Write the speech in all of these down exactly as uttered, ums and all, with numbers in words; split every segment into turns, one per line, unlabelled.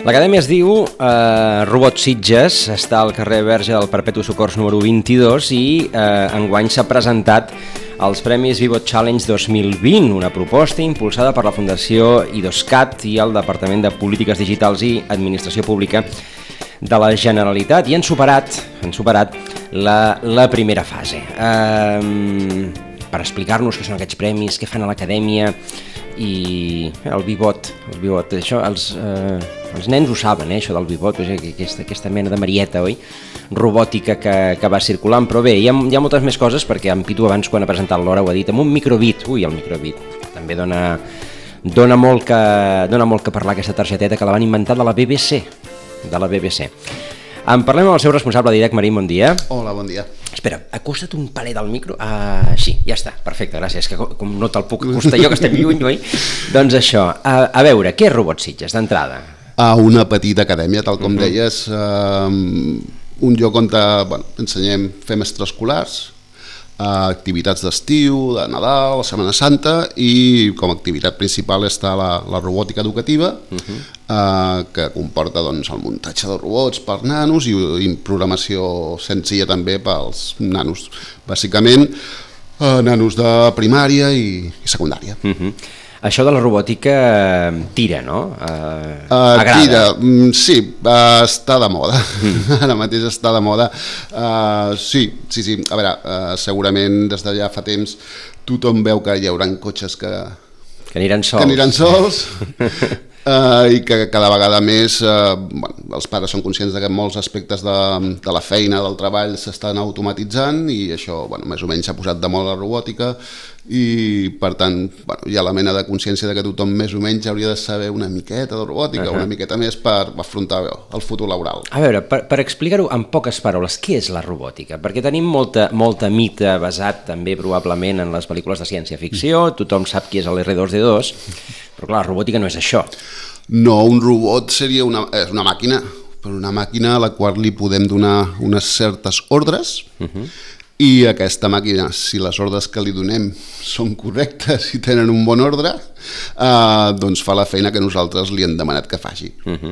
L'acadèmia es diu eh, Robot Sitges, està al carrer Verge del Perpetu Socors número vint-i-dos i eh, enguany s'ha presentat els Premis Vivot Challenge dos mil vint, una proposta impulsada per la Fundació IDOSCAT i el Departament de Polítiques Digitals i Administració Pública de la Generalitat, i han superat, han superat la, la primera fase. Eh, per explicar-nos què són aquests premis, què fan a l'acadèmia i el Vivot, el Vivot, això, els, eh, els nens ho saben, eh, això del Vivot, aquesta, aquesta mena de marieta, oi? Robòtica que, que va circulant, però bé, hi ha, hi ha moltes més coses, perquè en Pitu abans quan ha presentat l'hora ho ha dit, amb un microbit, ui, el microbit, també dona, dona, molt que, dona molt que parlar aquesta targeteta que la van inventar de la B B C, de la B B C. En parlem amb el seu responsable, Dídac Marín, bon dia.
Hola, bon dia.
Espera, acosta't un palet al micro. Ah, sí, ja està, perfecte, gràcies, que com no te'l puc acostar jo, que estem lluny, oi? Doncs això, a, a veure, què és Robot Sitges, d'entrada?
A una petita acadèmia, tal com uh-huh. deies, eh, un lloc on bueno, ensenyem, fem extraescolars, eh, activitats d'estiu, de Nadal, la Setmana Santa, i com a activitat principal està la, la robòtica educativa, uh-huh. eh, que comporta doncs, el muntatge de robots per nanos i, i programació senzilla també pels nanos, bàsicament eh, nanos de primària i, i secundària.
Uh-huh. Això de la robòtica tira, no? Uh,
uh, tira, sí, uh, està de moda, mm. ara mateix està de moda. Uh, sí, sí, sí, a veure, uh, segurament des de ja fa temps tothom veu que hi haurà cotxes que,
que aniran sols,
que aniran sols uh, i que cada vegada més uh, bueno, els pares són conscients de que molts aspectes de, de la feina, del treball s'estan automatitzant i això bueno, més o menys s'ha posat de moda la robòtica i per tant bueno, hi ha la mena de consciència de que tothom més o menys hauria de saber una miqueta de robòtica, uh-huh. una miqueta més per afrontar el futur laboral.
A veure, per, per explicar-ho en poques paraules, què és la robòtica? Perquè tenim molta, molta mita basat també probablement en les pel·lícules de ciència-ficció, tothom sap qui és l'R dos D dos, però clar, la robòtica no és això.
No, un robot seria una, és una màquina, però una màquina a la qual li podem donar unes certes ordres, uh-huh. i aquesta màquina, si les ordres que li donem són correctes i tenen un bon ordre, eh, doncs fa la feina que nosaltres li hem demanat que faci. Uh-huh.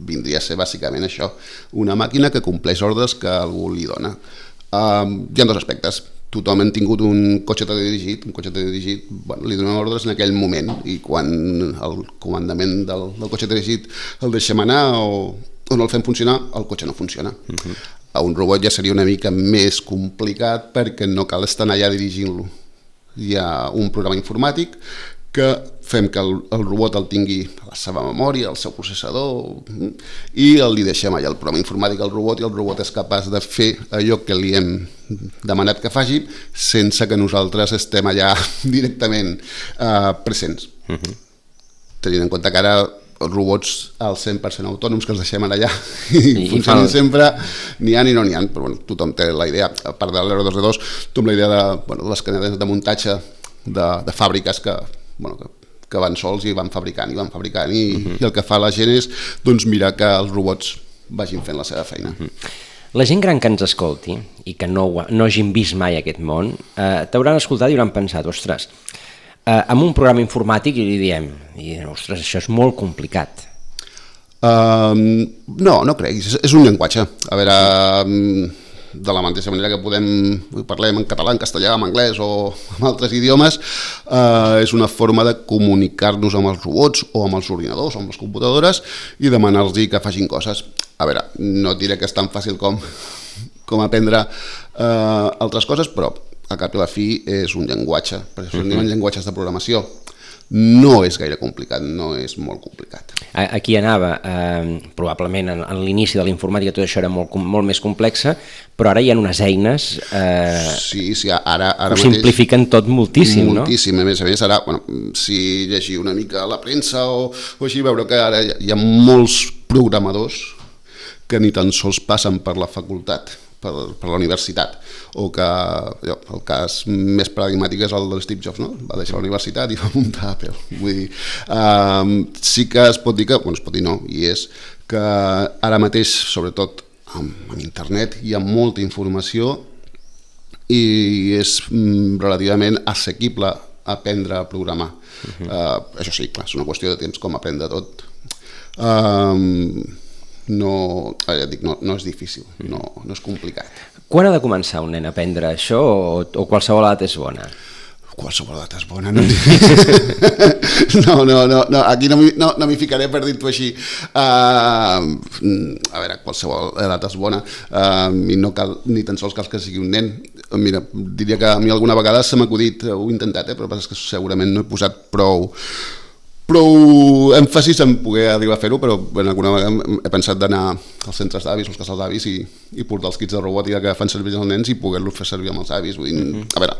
Vindria a ser bàsicament això, una màquina que compleix ordres que algú li dona. Eh, hi ha dos aspectes. Tothom ha tingut un cotxe teledirigit, un cotxe teledirigit, bueno, li donem ordres en aquell moment i quan el comandament del, del cotxe teledirigit el deixem anar o, o no el fem funcionar, el cotxe no funciona. Uh-huh. A un robot ja seria una mica més complicat perquè no cal estar allà dirigint-lo. Hi ha un programa informàtic que fem que el, el robot el tingui a la seva memòria, al seu processador, i el li deixem allà el programa informàtic al robot i el robot és capaç de fer allò que li hem demanat que faci sense que nosaltres estem allà directament eh, presents. Uh-huh. Tenint en compte que ara els robots al cent per cent autònoms que els deixem allà i, I funcionen fa... sempre, n'hi ha ni no n'hi ha, però bueno, tothom té la idea, a part de l'R dos D dos, tothom la idea de, bueno, de les cadenes de muntatge de, de fàbriques que, bueno, que, que van sols i van fabricant i van fabricant i, uh-huh. i el que fa la gent és doncs, mirar que els robots vagin fent la seva feina.
Uh-huh. La gent gran que ens escolti i que no, no hagin vist mai aquest món, eh, t'hauran escoltat i hauran pensat, ostres, Uh, amb un programa informàtic i li diem, i, ostres, això és molt complicat.
Uh, no, no crec, és, és un llenguatge. A veure, um, de la mateixa manera que podem, parlem en català, en castellà, en anglès o en altres idiomes, uh, és una forma de comunicar-nos amb els robots o amb els ordinadors o amb les computadores i demanar-los que facin coses. A veure, no diré que és tan fàcil com, com aprendre uh, altres coses, però a cap i la fi és un llenguatge, per això en diuen llenguatges de programació. No és gaire complicat, no és molt complicat.
Aquí anava, eh, probablement en, en l'inici de la informàtica tot això era molt, molt més complexa, però ara hi ha unes eines eh,
sí, sí, ara, ara
que ho simplifiquen tot moltíssim,
moltíssim, no? Moltíssim, a més a més, ara, bueno, si llegir una mica la premsa o, o així, veure que ara hi ha molts programadors que ni tan sols passen per la facultat, per, per la universitat, o que allò, el cas més paradigmàtic és el de Steve Jobs, no? Va deixar la universitat i va muntar Apple. Vull dir, um, sí que es pot dir que, bueno, es pot dir no, i és que ara mateix, sobretot amb, amb internet, hi ha molta informació i és mm, relativament assequible aprendre a programar. Uh-huh. uh, això sí, clar, és una qüestió de temps com aprendre tot. Um, no, ja dic, no, no és difícil, no, no és complicat.
Quan ha de començar un nen a aprendre això o, o qualsevol edat és bona?
Qualsevol edat és bona, no? no, no, no, no, aquí no m'hi no, no ficaré per dir-t'ho així. Uh, a veure, qualsevol edat és bona uh, i no cal ni tan sols cal que sigui un nen. Mira, diria que a mi alguna vegada se m'ha acudit, ho he intentat, eh, però és que segurament no he posat prou prou èmfasis en poder arribar a fer-ho, però bueno, alguna vegada he pensat d'anar als centres d'avis, als casals d'avis i, i portar els kits de robòtica que fan servir els nens i poder-los fer servir amb els avis. Vull dir, uh-huh. A veure,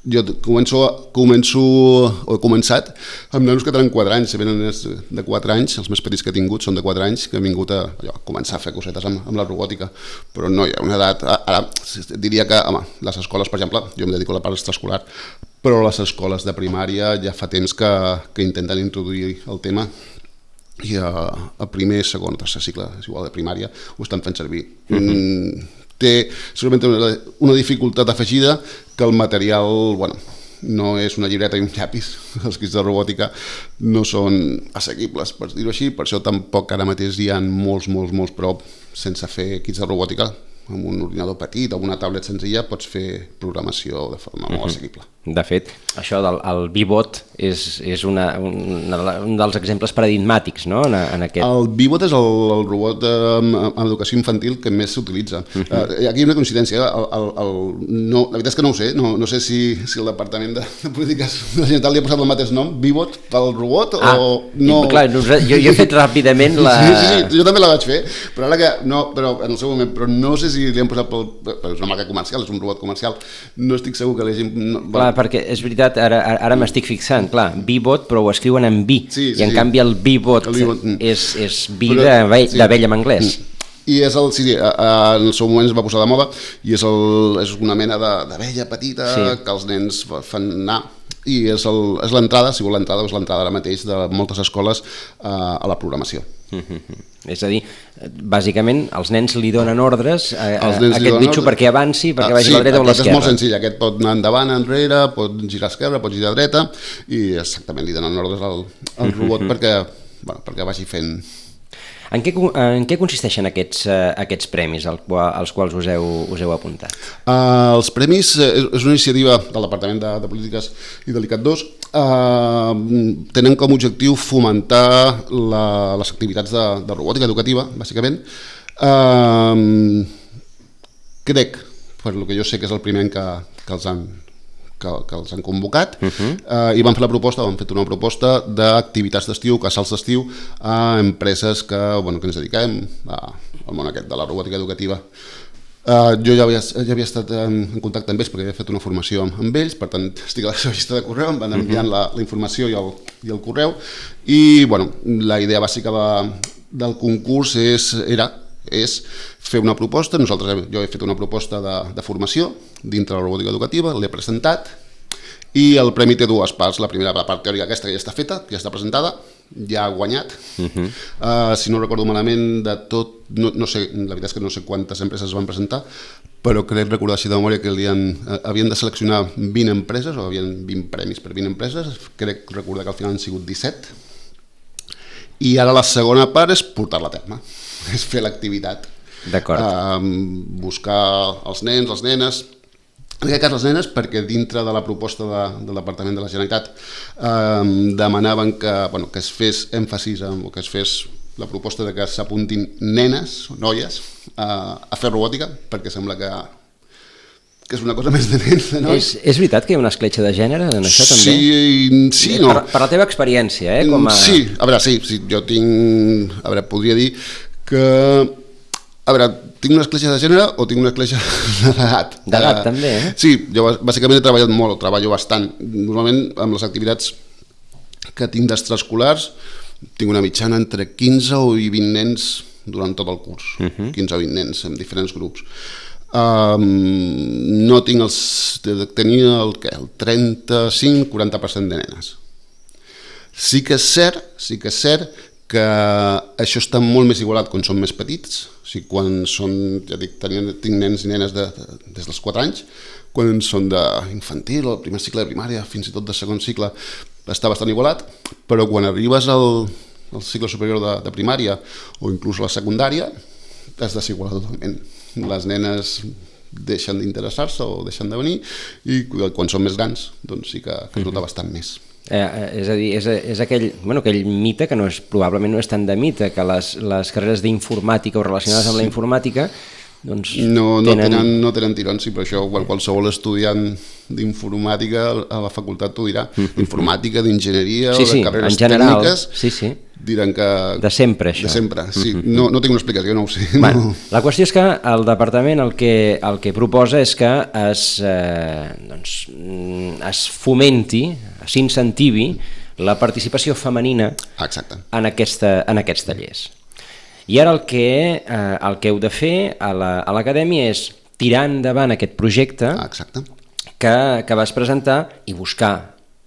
jo començo, començo o he començat amb nanos que tenen quatre anys, si venen de quatre anys, els més petits que he tingut són de quatre anys, que han vingut a, allò, a començar a fer cosetes amb, amb la robòtica, però no hi ha una edat, ara diria que, home, les escoles, per exemple, jo em dedico a la part extraescolar, però les escoles de primària ja fa temps que, que intenten introduir el tema i a, a primer, segon, tercer cicle, és igual de primària, ho estan fent servir. Mm-hmm. Mm, té segurament una, una dificultat afegida que el material, bueno, no és una llibreta i un llapis, els kits de robòtica no són assequibles, per dir-ho així, per això tampoc ara mateix hi ha molts, molts, molts prop sense fer kits de robòtica. Amb un ordinador petit o una tablet senzilla pots fer programació de forma molt assequible.
De fet, això del el Vbot és, és una, una, un dels exemples paradigmàtics, no? En, en aquest...
El Vbot és el, el robot en, en educació infantil que més s'utilitza. Uh -huh. uh, aquí hi ha una coincidència. El, el, el, no, la veritat és que no ho sé. No, no sé si, si el Departament de, de Polítiques de la Generalitat li ha posat el mateix nom, Vbot, pel robot,
ah,
o no...
Clar, jo, jo he fet ràpidament la...
Sí, sí, sí, jo també la vaig fer, però ara que... No, però en el seu moment, però no sé si li han posat pel... És una marca comercial, és un robot comercial. No estic segur que l'hagin... No,
clar, perquè és veritat, ara, ara m'estic fixant, clar, Vbot, però ho escriuen en vi,
sí, sí,
i en
sí.
canvi el Vbot és, és vi d'abella en anglès.
I és el, sí, sí, en el seu moment es va posar de moda i és, el, és una mena d'abella petita sí. que els nens fan anar i és l'entrada, si vol l'entrada, és l'entrada ara mateix de moltes escoles a, a la programació.
Mm-hmm. És a dir, bàsicament els nens li donen ordres a, a, a aquest bitxo perquè avanci, perquè vagi
sí,
a la dreta o a l'esquerra.
Sí, és molt senzill, aquest pot anar endavant, enrere, pot girar a esquerra, pot girar a dreta i exactament li donen ordres al, al robot mm-hmm. perquè, bueno, perquè vagi fent...
En què, en què consisteixen aquests, uh, aquests premis als, als quals us heu, us heu apuntat?
Uh, els premis és, és una iniciativa del Departament de, de Polítiques i de l'I C A T dos. Uh, tenen com a objectiu fomentar la, les activitats de, de robòtica educativa, bàsicament. Uh, crec, per el que jo sé que és el primer any que, que els han que, que els han convocat uh-huh. uh, i van fer la proposta, van fer una proposta d'activitats d'estiu, casals d'estiu a empreses que, bueno, que ens dediquem a, al món aquest de la robòtica educativa. Uh, jo ja havia, ja havia estat en, en contacte amb ells perquè havia fet una formació amb, amb ells, per tant estic a la seva llista de correu, em van enviant uh-huh. la, la informació i el, i el correu i bueno, la idea bàsica de, del concurs és, era és fer una proposta. Nosaltres, jo he fet una proposta de, de formació dintre la robòtica educativa, l'he presentat i el premi té dues parts. La primera, la part teòrica aquesta que ja està feta, que ja està presentada, ja ha guanyat. Uh-huh. uh, si no recordo malament de tot, no, no sé, la veritat és que no sé quantes empreses es van presentar, però crec recordar així de memòria que li han, uh, havien de seleccionar vint empreses, o havien vint premis per vint empreses, crec recordar que al final han sigut disset, i ara la segona part és portar-la a terme, és fer l'activitat.
D'acord.
Uh, buscar els nens, les nenes, en aquest cas les nenes, perquè dintre de la proposta de, del Departament de la Generalitat uh, demanaven que, bueno, que es fes èmfasis, en, o que es fes la proposta de que s'apuntin nenes, noies, uh, a fer robòtica, perquè sembla que que és una cosa més de nens, de nois.
És, és veritat que hi ha una escletxa de gènere en això també?
Sí, sí, no.
Per, per la teva experiència, eh? Com a...
Sí, a veure, sí, sí, jo tinc... A veure, podria dir que... A veure, tinc una escletxa de gènere o tinc una escletxa d'edat?
D'edat, uh, també, eh?
Sí, jo bàsicament he treballat molt, treballo bastant. Normalment amb les activitats que tinc d'extraescolars tinc una mitjana entre quinze o vint nens durant tot el curs. Uh-huh. quinze o vint nens en diferents grups. Um, no tinc els... tenia el, què, el trenta-cinc a quaranta per cent de nenes. Sí que és cert, sí que és cert que això està molt més igualat quan són més petits, o sigui, quan són, ja dic, tenien, tinc nens i nenes de, de, des dels quatre anys, quan són d'infantil o el primer cicle de primària, fins i tot de segon cicle, està bastant igualat, però quan arribes al, al cicle superior de, de primària o inclús a la secundària, es desiguala totalment. Les nenes deixen d'interessar-se o deixen de venir i quan són més grans doncs sí que, que es nota bastant més.
Eh, és a dir, és, és aquell, bueno, aquell mite que no és, probablement no és tant de mite, que les, les carreres d'informàtica o relacionades amb la informàtica doncs
no, no,
tenen...
tenen, no tenen tirons, i per això qualsevol estudiant d'informàtica a la facultat t'ho dirà, d'informàtica, d'enginyeria
sí,
o de
sí,
carreres
en general,
tècniques,
sí, sí.
diran que...
De sempre, això.
De sempre, sí. No, no tinc una explicació, no ho sé.
Bueno,
no.
La qüestió és que el departament el que, el que proposa és que es, eh, doncs, es fomenti, s'incentivi la participació femenina
Exacte.
en, aquesta, en aquests tallers. I ara el que, eh, el que heu de fer a l'acadèmia la, és tirar endavant aquest projecte
Exacte.
que, que vas presentar i buscar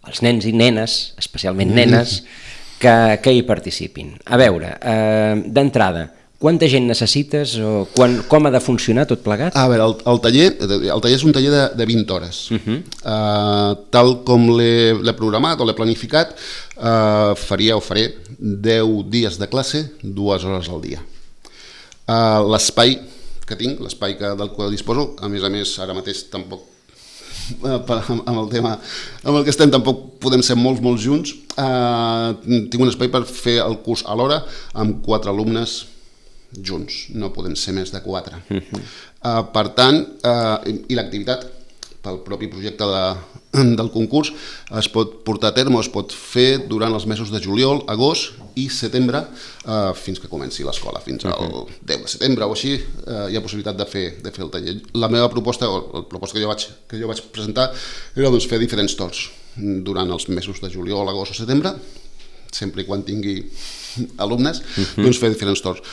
els nens i nenes, especialment nenes, que, que hi participin. A veure, eh, d'entrada, quanta gent necessites o quan, com ha de funcionar tot plegat?
A veure, el, el, taller, el taller és un taller de, de vint hores. Uh-huh. uh, tal com l'he programat o l'he planificat, uh, faria o faré deu dies de classe, dues hores al dia. Uh, l'espai que tinc, l'espai del qual disposo, a més a més ara mateix tampoc amb el tema amb el que estem tampoc podem ser molts, molts junts. Uh, tinc un espai per fer el curs alhora amb quatre alumnes junts, no podem ser més de quatre. Uh-huh. uh, per tant, uh, i, i l'activitat pel propi projecte de, del concurs es pot portar a terme, es pot fer durant els mesos de juliol, agost i setembre, uh, fins que comenci l'escola, fins al uh-huh. deu de setembre o així, uh, hi ha possibilitat de fer, de fer el taller. La meva proposta, o la proposta que jo vaig, que jo vaig presentar, era doncs, fer diferents torns durant els mesos de juliol, agost o setembre, sempre i quan tingui alumnes, uh-huh. doncs fer diferents torns.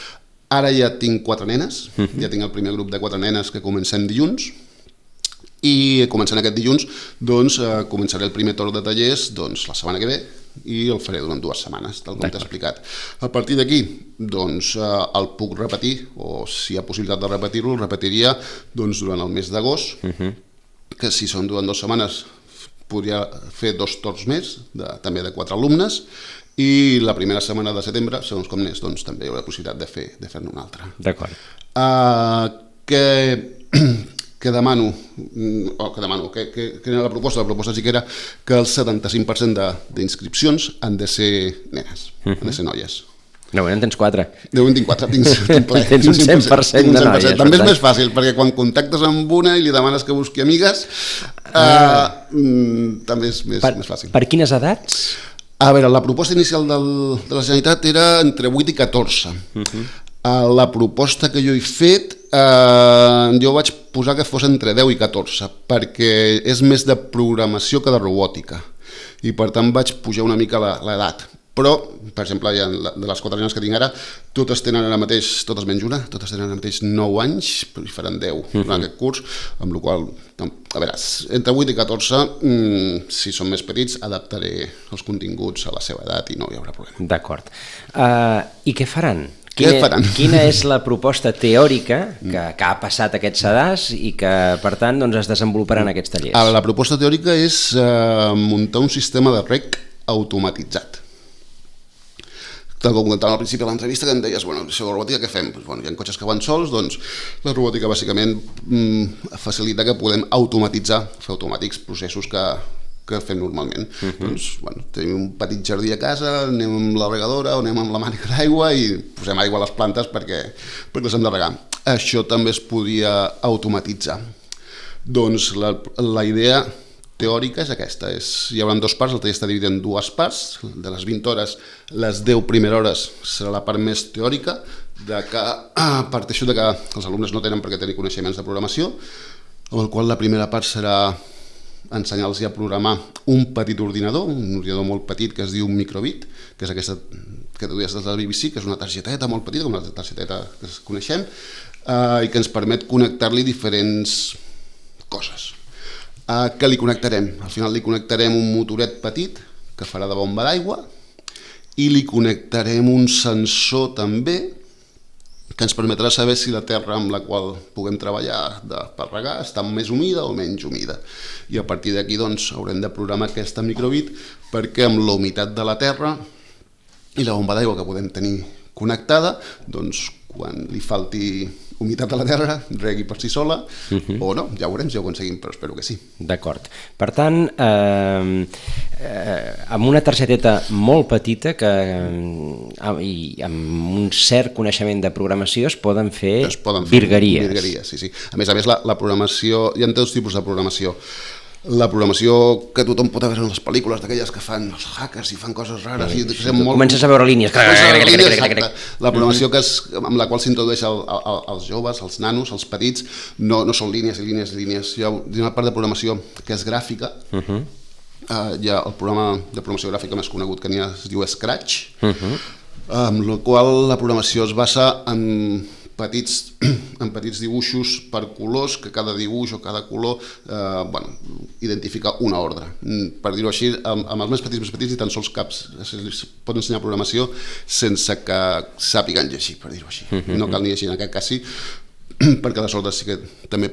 Ara ja tinc quatre nenes, uh-huh. ja tinc el primer grup de quatre nenes que comencem dilluns, i començant aquest dilluns doncs, eh, començaré el primer torn de tallers doncs, la setmana que ve i el faré durant dues setmanes, tal com t'he explicat. A partir d'aquí doncs, eh, el puc repetir, o si hi ha possibilitat de repetir-lo, el repetiria doncs, durant el mes d'agost, uh-huh. que si són durant dues setmanes podria fer dos torns més, de, també de quatre alumnes, i la primera setmana de setembre, segons com n'és, doncs, també hi haurà possibilitat de fer-ne de fer una altra.
D'acord.
Uh, que... que demano, o que demano, que, que, que era la proposta, la proposta sí que era que el setanta-cinc per cent d'inscripcions han de ser nenes, uh-huh. han de ser noies.
No, en tens quatre.
No, en tinc quatre, tinc, tinc ple.
Tens un cent per cent de noies.
També és més fàcil, perquè quan contactes amb una i li demanes que busqui amigues, ah. uh, mm, també és més,
per,
més fàcil.
Per quines edats?
A veure, la proposta inicial del, de la Generalitat era entre vuit i catorze. Uh-huh. La proposta que jo he fet, eh, jo vaig posar que fos entre deu i catorze, perquè és més de programació que de robòtica, i per tant vaig pujar una mica l'edat. Però, per exemple, ja de les quatre nenes que tinc ara, totes tenen ara mateix, totes menys una, totes tenen ara mateix nou anys, i faran deu uh-huh. en aquest curs, amb la qual cosa, a veure, entre vuit i catorze, mmm, si són més petits, adaptaré els continguts a la seva edat i no hi haurà problema.
D'acord. Uh, I què faran?
Quina,
quina és la proposta teòrica que, que ha passat aquest sedàs i que, per tant, doncs, es desenvoluparà en aquests tallers?
La proposta teòrica és eh, muntar un sistema de rec automatitzat. Tal com comentàvem al principi de l'entrevista, que em deies, bueno, si la robòtica què fem? Pues, bueno, hi ha cotxes que van sols, doncs la robòtica bàsicament mm, facilita que podem automatitzar, fer automàtics processos que, que fem normalment. Uh-huh. Doncs, bueno, tenim un petit jardí a casa, anem amb la regadora o anem amb la mànica d'aigua i posem aigua a les plantes perquè, perquè les hem de regar. Això també es podria automatitzar. Doncs la, la idea teòrica és aquesta, és, hi haurà dos parts, el taller està dividit en dues parts, de les vint hores, les deu primeres hores serà la part més teòrica, de que ah, parteixo de que els alumnes no tenen per què tenir coneixements de programació, amb el qual la primera part serà ensenyar-los a programar un petit ordinador, un ordinador molt petit que es diu microbit, que és aquesta que tu dius des de la B B C, que és una targeteta molt petita, com la targeteta que coneixem, eh, i que ens permet connectar-li diferents coses. Uh, que li connectarem? Al final li connectarem un motoret petit que farà de bomba d'aigua i li connectarem un sensor també que ens permetrà saber si la terra amb la qual puguem treballar de, per regar està més humida o menys humida. I a partir d'aquí doncs, haurem de programar aquesta microbit perquè amb la humitat de la terra i la bomba d'aigua que podem tenir connectada, doncs quan li falti humitat a la terra, regui per si sola, uh-huh. o no, ja ho veurem si ho aconseguim, però espero que sí.
D'acord. Per tant, eh, eh, amb una targeteta molt petita que, eh, i amb un cert coneixement de programació es poden fer, es poden fer virgueries.
virgueries sí, sí. A més a més, la, la programació, hi ha dos tipus de programació. La programació que tothom pot veure en les pel·lícules, d'aquelles que fan els hackers i fan coses rares. Sí,
i molt... Comences a veure línies.
La programació que és, amb la qual s'introdueix el, el, els joves, els nanos, els petits, no, no són línies i línies i línies. Hi ha una part de programació que és gràfica. Uh-huh. uh, hi ha el programa de programació gràfica més conegut que n'hi ha, es diu Scratch, uh-huh. amb la qual la programació es basa en petits, en petits dibuixos per colors, que cada dibuix o cada color eh, bueno, identifica una ordre. Per dir-ho així, amb, amb els més petits més petits i tan sols caps es pot ensenyar programació sense que sàpiguen llegir, per dir-ho així. No cal ni llegir, en aquest cas sí, perquè les ordres sí que també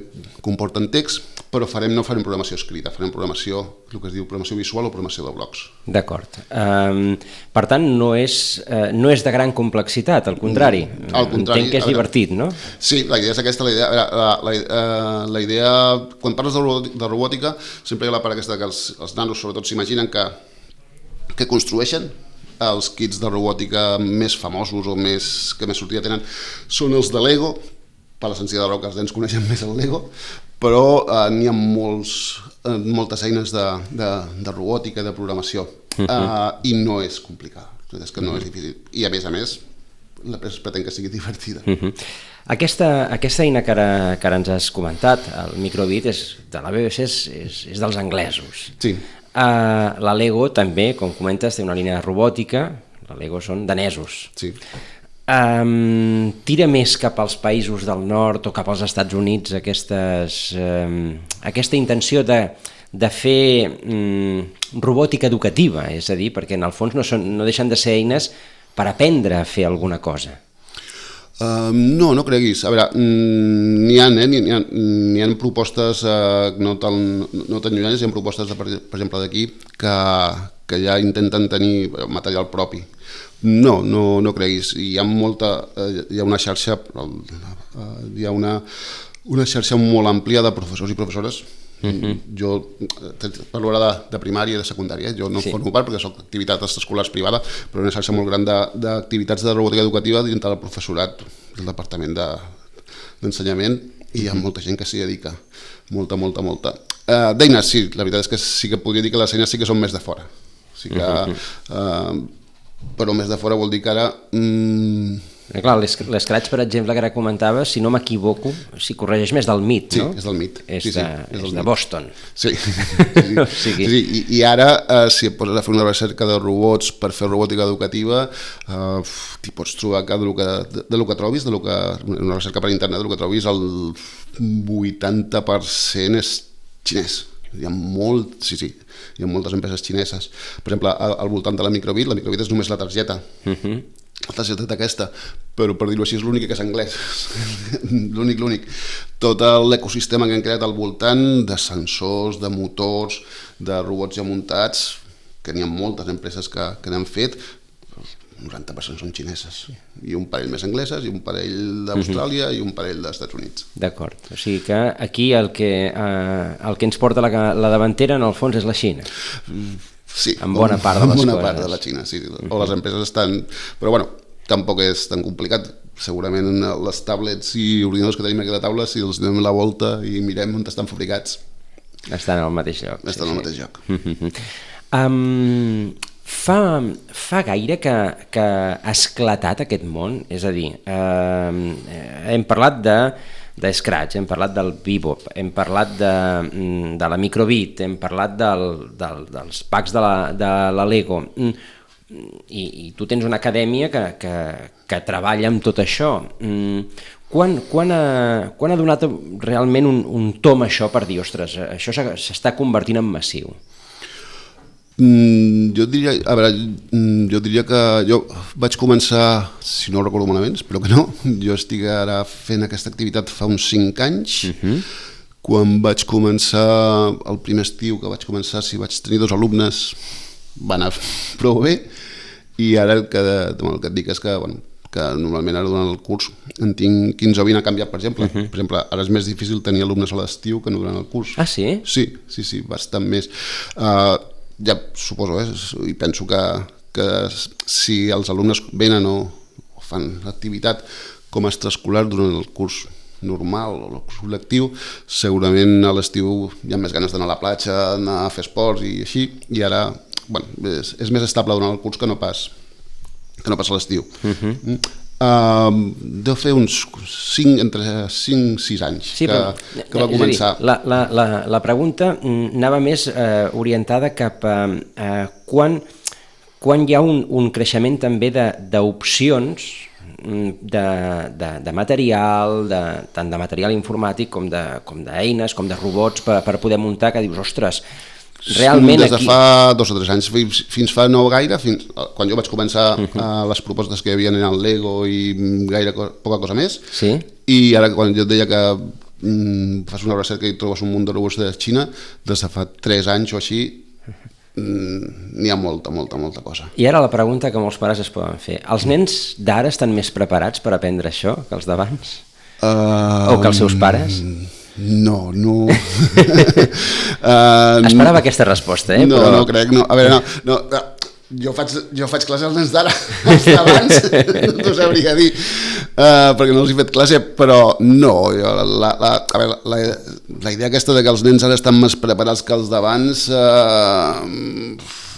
comporten text, però farem, no farem programació escrita, farem programació, el que es diu programació visual o programació de blocs.
D'acord. Um, per tant, no és, uh, no és de gran complexitat, al contrari.
Al contrari.
Entenc que és divertit, no?
Sí, la idea és aquesta. La idea, la, la, la, la idea quan parles de robòtica, sempre hi ha la part aquesta que els, els nanos sobretot s'imaginen que, que construeixen. Els kits de robòtica més famosos o més, que més sortida tenen són els de Lego, per la senzilla raó que els nens coneixen més el Lego, però eh, n'hi ha molts, eh, moltes eines de, de, de robòtica i de programació, uh-huh. eh, i no és complicada, és que no uh-huh. és difícil. I a més a més, l'empresa es pretén que sigui divertida.
Uh-huh. Aquesta, aquesta eina que ara, que ara ens has comentat, el microbit, és, de la B B C és, és, és dels anglesos.
Sí.
Uh, la Lego també, com comentes, té una línia de robòtica, la Lego són danesos.
Sí.
Um, tira més cap als països del nord o cap als Estats Units aquestes, um, aquesta intenció de, de fer um, robòtica educativa, és a dir, perquè en el fons no, són, no deixen de ser eines per aprendre a fer alguna cosa.
Uh, no, no creguis. A veure, n'hi ha, eh? n'hi ha, n'hi ha propostes uh, no, tan, no tan llunyanes, hi ha propostes, de, per, per exemple, d'aquí, que, que ja intenten tenir material propi. No, no, no creguis. Hi ha molta, eh, hi ha una xarxa, eh, hi ha una, una xarxa molt àmplia de professors i professores. Uh-huh. Jo parlo ara de, de primària i de secundària, jo no sí. formo part perquè soc activitats escolars privada, però una xarxa molt gran d'activitats de, de robòtica educativa dintre del professorat del departament de, d'ensenyament, i hi ha molta gent que s'hi dedica, molta, molta, molta. Uh, d'eines, sí, la veritat és que sí que podria dir que les eines sí que són més de fora. Sí que... Uh, però més de fora vol dir que ara... Mm...
Clar, l'Scratch, per exemple, que ara comentava, si no m'equivoco, si corregeix més del M I T, no?
Sí, és del M I T.
És,
sí, sí,
de,
és,
és de Boston.
Sí, sí, o sigui... sí i, i ara, eh, si et poses a fer una recerca de robots per fer robòtica educativa, eh, t'hi pots trobar que de lo que, de, de lo que trobis, de lo que, una recerca per internet, de lo que trobis, el vuitanta per cent és xinès. Hi ha molt, sí, sí, hi ha moltes empreses xineses. Per exemple, al, al voltant de la microbit, la microbit és només la targeta. Uh-huh. La targeta aquesta, però per dir-ho així és l'únic que és anglès. l'únic, l'únic. Tot l'ecosistema que han creat al voltant de sensors, de motors, de robots ja muntats, que n'hi ha moltes empreses que, que n'han fet, el noranta per cent són xineses, i un parell més angleses, i un parell d'Austràlia, uh-huh. i un parell dels Estats Units.
D'acord, o sigui que aquí el que, eh, el que ens porta la, la davantera en el fons és la Xina.
Sí,
en bona part de les
bona
coses.
part de la Xina, sí, uh-huh. o les empreses estan... Però bueno, tampoc és tan complicat, segurament les tablets i ordinadors que tenim aquí a la taula, si els donem la volta i mirem on estan fabricats...
Estan al mateix lloc.
Estan
sí,
al
sí.
mateix lloc.
um, Fa, fa gaire que, que ha esclatat aquest món? És a dir, eh, hem parlat de, de Scratch, hem parlat del Bebop, hem parlat de, de la microbit, hem parlat del, del, dels packs de la, de la Lego, i, i tu tens una acadèmia que, que, que treballa amb tot això. Quan, quan, ha, quan ha donat realment un, un tom això per dir, ostres, això s'està convertint en massiu?
Mm, jo diria, a veure, jo diria que jo vaig començar, si no ho recordo malament, espero que no, jo estic ara fent aquesta activitat fa uns cinc anys, uh-huh. Quan vaig començar, el primer estiu que vaig començar, si vaig tenir dos alumnes, va anar prou bé, i ara el que, el que et dic és que, bueno, que normalment ara durant el curs en tinc quinze o vint, ha canviat, per exemple. Uh-huh. Per exemple, ara és més difícil tenir alumnes a l'estiu que no durant el curs.
Ah, sí?
Sí, sí, sí, bastant més. Uh, ja suposo, eh, i penso que, que si els alumnes venen o, o fan activitat com a extraescolar durant el curs normal o el curs lectiu, segurament a l'estiu hi ha més ganes d'anar a la platja, anar a fer esports i així, i ara, bueno, és, és més estable durant el curs que no pas que no pas a l'estiu. Uh-huh. Uh, deu fer uns cinc, entre cinc i sis anys sí, que, però, que va començar.
Dir, la, la, la, la pregunta anava més eh, orientada cap a eh, quan, quan hi ha un, un creixement també d'opcions de, de, de material, de, tant de material informàtic com d'eines, com, com de robots per, per poder muntar, que dius, ostres, realment
des de
aquí...
fa dos o tres anys, fins, fins fa no gaire, fins, quan jo vaig començar uh-huh. uh, les propostes que hi havia en el Lego i gaire co poca cosa més,
sí?
I ara quan jo et deia que mm, fas una recerca i trobes un munt de robots de Xina, des de fa tres anys o així, mm, n'hi ha molta, molta, molta cosa.
I ara la pregunta que molts pares es poden fer, els nens d'ara estan més preparats per aprendre això que els d'abans? Uh, o que els seus pares?
No, no... uh,
Esperava aquesta resposta, eh?
No,
però...
no crec, no. A veure, no, no, no. Jo faig, jo faig classe als nens d'ara, els d'abans, no sabria dir, uh, perquè no els he fet classe, però no, jo, la, la, a veure, la, la idea aquesta de que els nens ara estan més preparats que els d'abans, uh,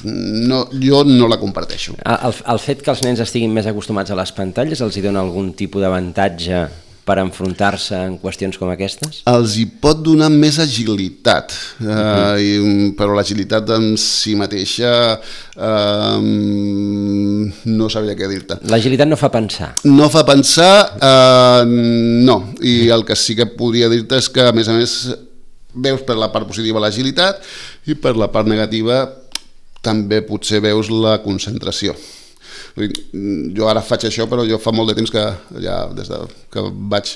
no, jo no la comparteixo.
El, el fet que els nens estiguin més acostumats a les pantalles els hi dona algun tipus d'avantatge per enfrontar-se en qüestions com aquestes?
Els hi pot donar més agilitat, uh-huh. uh, i, però l'agilitat en si mateixa uh, no sabria què dir-te.
L'agilitat no fa pensar?
No fa pensar, uh, no, i el que sí que podria dir-te és que a més a més veus per la part positiva l'agilitat i per la part negativa també potser veus la concentració. Jo ara faig això, però jo fa molt de temps que ja des de que vaig,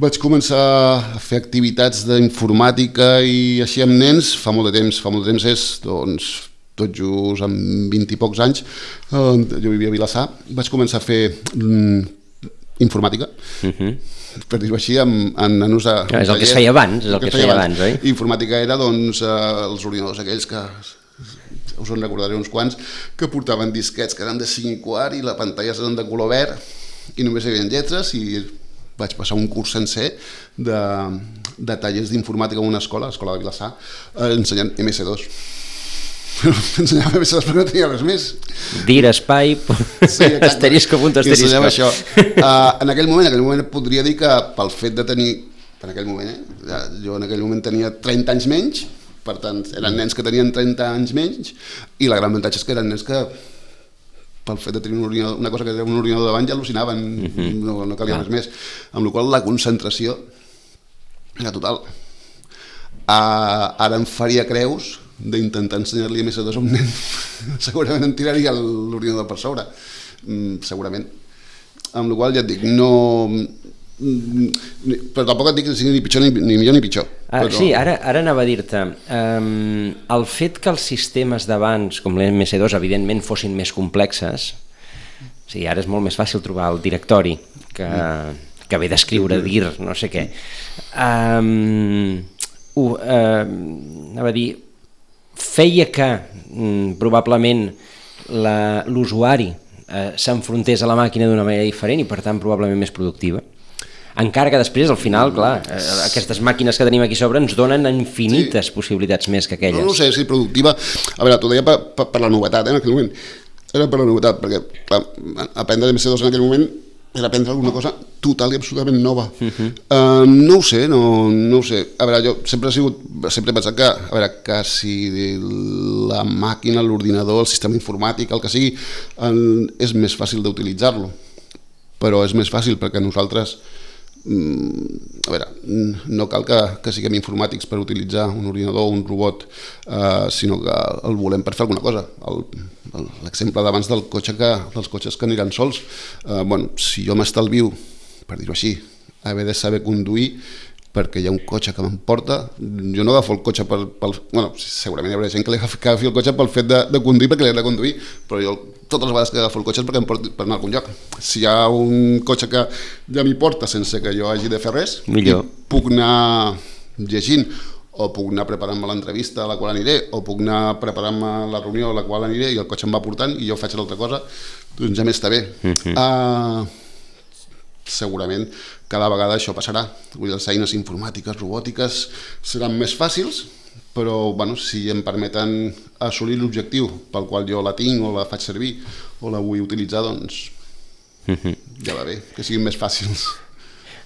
vaig començar a fer activitats d'informàtica i així amb nens, fa molt de temps, fa molt de temps és, doncs, tot just amb vint i pocs anys, jo vivia a Vilassar, vaig començar a fer mm, informàtica, uh-huh. per dir-ho així, amb, amb nanos a...
No, és el que es feia abans, és el que es feia abans, oi?
Informàtica era, doncs, els ordinadors aquells que... us en recordaré uns quants, que portaven disquets que eren de cinc i quart i la pantalla eren de color verd i només hi havia lletres, i vaig passar un curs sencer de, de tallers d'informàtica en una escola, l'escola de Vilassar, ensenyant eme esse dos. Ensenyava eme esse dos perquè no tenia res més.
Dir, espai, sí, asterisco, punt, asterisco.
I ensenyava això. Uh, en aquell moment, en aquell moment podria dir que pel fet de tenir, en aquell moment, eh, jo en aquell moment tenia trenta anys menys, per tant, eren nens que tenien trenta anys menys, i la gran avantatge és que eren nens que, pel fet de tenir un ordinador, una cosa que era un ordinador davant, ja al·lucinaven, uh-huh. no, no calia ah. res més. Amb la qual cosa la concentració era total. Uh, ara em faria creus d'intentar ensenyar-li eme esse dos a un nen. Segurament em tiraria l'ordinador per sobre, mm, segurament. Amb la qual cosa ja et dic, no... però tampoc et dic que sigui ni pitjor ni, ni millor ni pitjor.
Ah,
però...
Sí, ara, ara anava a dir-te, um, el fet que els sistemes d'abans, com l'eme esse dos, evidentment fossin més complexes, o sigui, ara és molt més fàcil trobar el directori que, que ve d'escriure, dir, no sé què. Um, uh, uh, anava a dir, feia que um, probablement l'usuari uh, s'enfrontés a la màquina d'una manera diferent i per tant probablement més productiva. Encara que després, al final, clar, eh, aquestes màquines que tenim aquí sobre ens donen infinites sí. possibilitats més que aquelles.
No, no sé si productiva... A veure, t'ho deia per, per, per la novetat, eh, en aquell moment. Era per la novetat, perquè clar, aprendre eme esse dos en aquell moment era aprendre alguna cosa total i absolutament nova. Uh-huh. uh, no ho sé, no, no ho sé. A veure, jo sempre he sigut, sempre he pensat que, a veure, que si la màquina, l'ordinador, el sistema informàtic, el que sigui, el, és més fàcil d'utilitzar-lo. Però és més fàcil perquè nosaltres a veure, no cal que, que siguem informàtics per utilitzar un ordinador o un robot, eh, sinó que el volem per fer alguna cosa. L'exemple d'abans del cotxe que, dels cotxes que aniran sols, eh, bueno, si jo m'estalvio, per dir-ho així, haver de saber conduir perquè hi ha un cotxe que m'emporta, jo no agafo el cotxe pel... pel bueno, segurament hi haurà gent que li agafi el cotxe pel fet de, de conduir perquè l'he de conduir, però jo totes les vegades que agafo el cotxe és perquè em porti per anar a algun lloc. Si hi ha un cotxe que ja m'hi porta sense que jo hagi de fer res, millor. Puc anar llegint, o puc anar preparant-me l'entrevista a la qual aniré, o puc anar preparant-me la reunió a la qual aniré i el cotxe em va portant i jo faig l'altra cosa, doncs ja m'està bé. Mm-hmm. uh, segurament cada vegada això passarà. Vull dir, les eines informàtiques, robòtiques seran més fàcils, però bueno, si em permeten assolir l'objectiu pel qual jo la tinc o la faig servir o la vull utilitzar, doncs mm-hmm. ja va bé, que siguin més fàcils.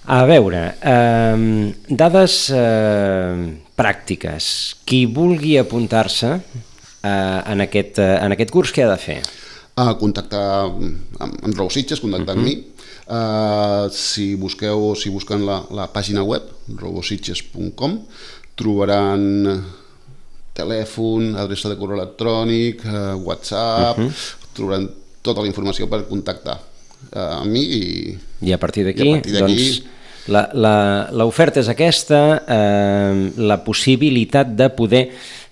A veure, eh, dades eh, pràctiques. Qui vulgui apuntar-se eh, en, aquest, eh, en aquest curs, què ha de fer?
Uh, contactar amb, amb RoboSitges, contactar uh-huh. amb mi. Uh, si busqueu, si busquen la, la pàgina web robositges punt com, trobaran telèfon, adreça de correu electrònic, uh, WhatsApp, uh-huh. trobaran tota la informació per contactar uh, amb mi i,
i a partir d'aquí doncs, l'oferta és aquesta, eh, la possibilitat de poder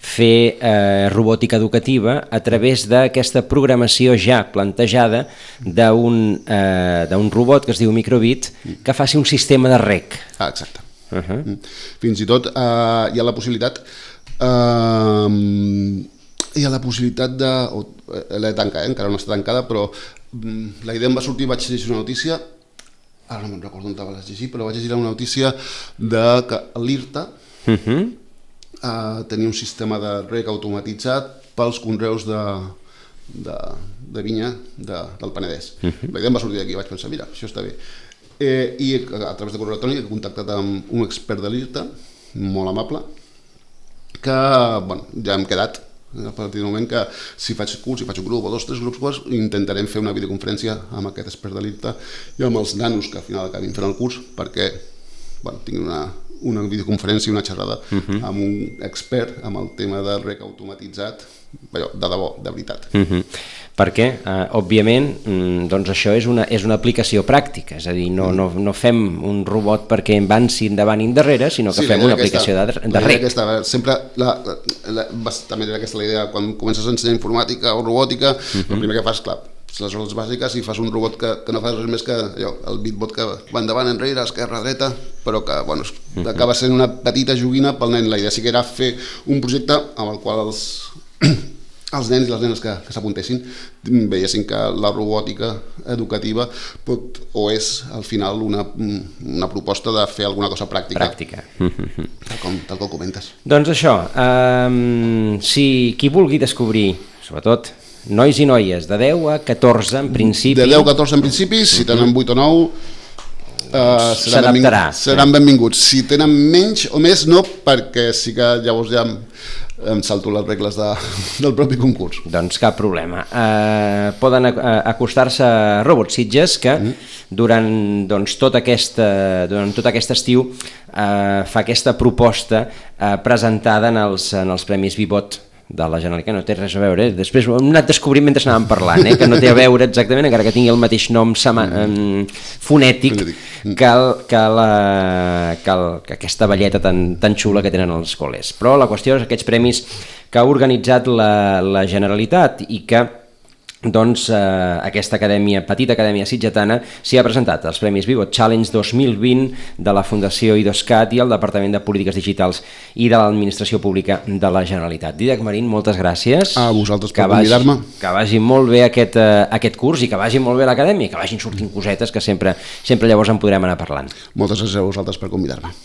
fer eh, robòtica educativa a través d'aquesta programació ja plantejada d'un eh, d'un robot que es diu Microbit que faci un sistema de rec.
Ah, exacte. Uh-huh. Fins i tot eh, hi ha la possibilitat eh, hi ha la possibilitat de eh, l'he tancat, eh, encara no està tancada, però mm, la idea em va sortir, vaig llegir una notícia, ara no me'n recordo on la vaig llegir, però vaig llegir una notícia de que l'IRTA uh-huh. Uh, tenir un sistema de rec automatitzat pels conreus de, de, de vinya de, del Penedès. Uh-huh. La idea em va sortir d'aquí, vaig pensar, mira, això està bé. Eh, I a través de correu electrònic he contactat amb un expert de l'IRTA, molt amable, que bueno, ja hem quedat, a partir del moment que si faig curs, si faig un grup o dos, tres grups, pues, intentarem fer una videoconferència amb aquest expert de l'IRTA i amb els nanos que al final acabin fent el curs, perquè bueno, tinguin una... una videoconferència, una xerrada uh-huh. amb un expert amb el tema de rec automatitzat, allò, de debò, de veritat.
Uh-huh. Perquè, eh, òbviament, doncs això és una, és una aplicació pràctica, és a dir, no, no, no fem un robot perquè en van si endavant i endarrere, sinó que sí, fem una aplicació aquesta, de, de rec.
Aquesta, sempre, la, la, la, també era aquesta la idea, quan comences a ensenyar informàtica o robòtica, uh-huh. el primer que fas, clar, les hores bàsiques i fas un robot que, que no fas res més que allò, el bitbot que va endavant, enrere, esquerra, dreta, però que bueno, uh-huh. acaba sent una petita joguina pel nen. La idea sí que era fer un projecte amb el qual els, els nens i les nenes que, que s'apuntessin veiessin que la robòtica educativa pot, o és al final una, una proposta de fer alguna cosa pràctica.
Pràctica.
Tal com, tal com comentes.
Doncs això, um, si qui vulgui descobrir, sobretot, nois i noies, de deu a catorze en principi...
De deu a catorze en principi, si tenen vuit o nou... Uh, seran, benvinguts, seran benvinguts. Si tenen menys o més, no, perquè sí que llavors ja em, em salto les regles de, del propi concurs.
Doncs cap problema. Uh, poden acostar-se a RoboSitges, que mm. durant, doncs, tot, aquesta, durant tot aquest estiu uh, fa aquesta proposta uh, presentada en els, en els Premis Vivot de la Generalitat, no té res a veure, eh? Després ho hem anat descobrint mentre anàvem parlant, eh? Que no té a veure exactament, encara que tingui el mateix nom sama, um, fonètic que, el, que, la, que, el, que aquesta balleta tan, tan xula que tenen els col·les. Però la qüestió és aquests premis que ha organitzat la, la Generalitat i que doncs eh, aquesta acadèmia, petita acadèmia sitgetana s'hi ha presentat als Premis Vivot Challenge dos mil vint de la Fundació IDOSCAT i el Departament de Polítiques Digitals i de l'Administració Pública de la Generalitat. Dídac Marín, moltes gràcies.
A vosaltres per convidar-me.
Que vagi molt bé aquest, eh, aquest curs i que vagi molt bé l'acadèmia, que vagin sortint cosetes que sempre, sempre llavors en podrem anar parlant.
Moltes gràcies a vosaltres per convidar-me.